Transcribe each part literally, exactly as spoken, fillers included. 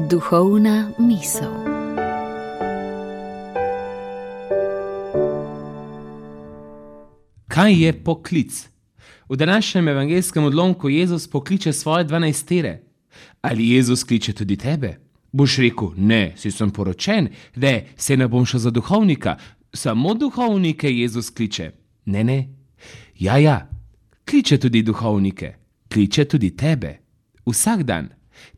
Duhovna misel. Kaj je poklic? V današnjem evangeljskem odlomku Jezus pokliče svoje dvanajstere. Ali Jezus kliče tudi tebe? Boš rekel, ne, si sem poročen, ne, se ne bom šel za duhovnika, samo duhovnike Jezus kliče. Ne, ne, ja, ja, kliče tudi duhovnike, kliče tudi tebe. Vsak dan.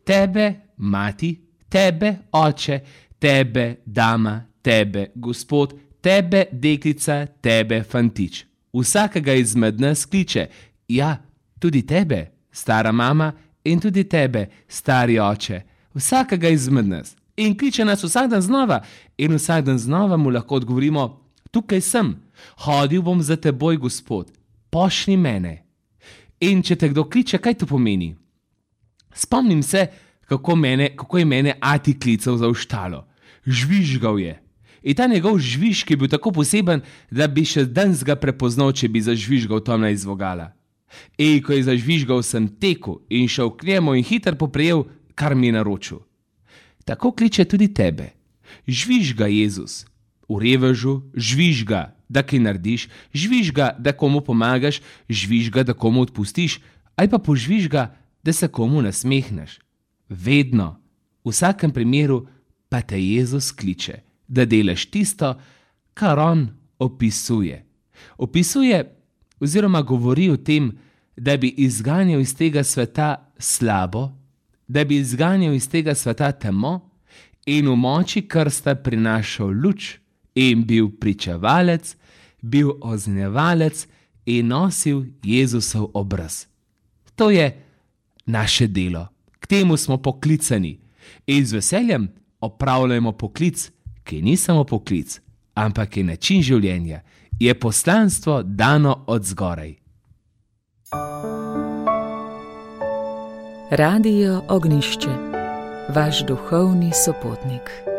Tebe, mati, tebe, oče, tebe, dama, tebe, gospod, tebe, deklica, tebe, fantič. Vsakega izmed nas kliče, ja, tudi tebe, stara mama, in tudi tebe, stari oče, vsakega izmed nas. In kliče nas vsak dan znova in vsak dan znova mu lahko odgovorimo, tukaj sem, hodil bom za teboj, Gospod, pošlji mene. In če te kdo kliče, kaj to pomeni? Spomnim se, kako, mene, kako je mene ati klical za v štalo. Žvižgal je. In ta njegov žvižk je bil tako poseben, da bi še danes ga prepoznal, če bi zažvižgal tam iz vogala. In ko je zažvižgal, sem tekel in šel k njemu in hiter poprijel, kar mi je naročil. Tako kliče tudi tebe. Žvižga Jezus. V revežu, žvižga, da kaj narediš, žvižga, da komu pomagaš, žvižga, da komu odpustiš, ali pa požvižga, da se komu nasmehneš. Vedno, v vsakem primeru pa te Jezus kliče, da delaš tisto, kar on opisuje. Opisuje oziroma govori o tem, da bi izganjal iz tega sveta slabo, da bi izganjal iz tega sveta temo in v moči krsta prinašal luč in bil pričevalec, bil oznjevalec in nosil Jezusov obraz. To je naše delo. K temu smo poklicani in z veseljem opravljamo poklic, ki ni samo poklic, ampak je način življenja, je poslanstvo dano od zgoraj. Radio Ognjišče, vaš duhovni sopotnik.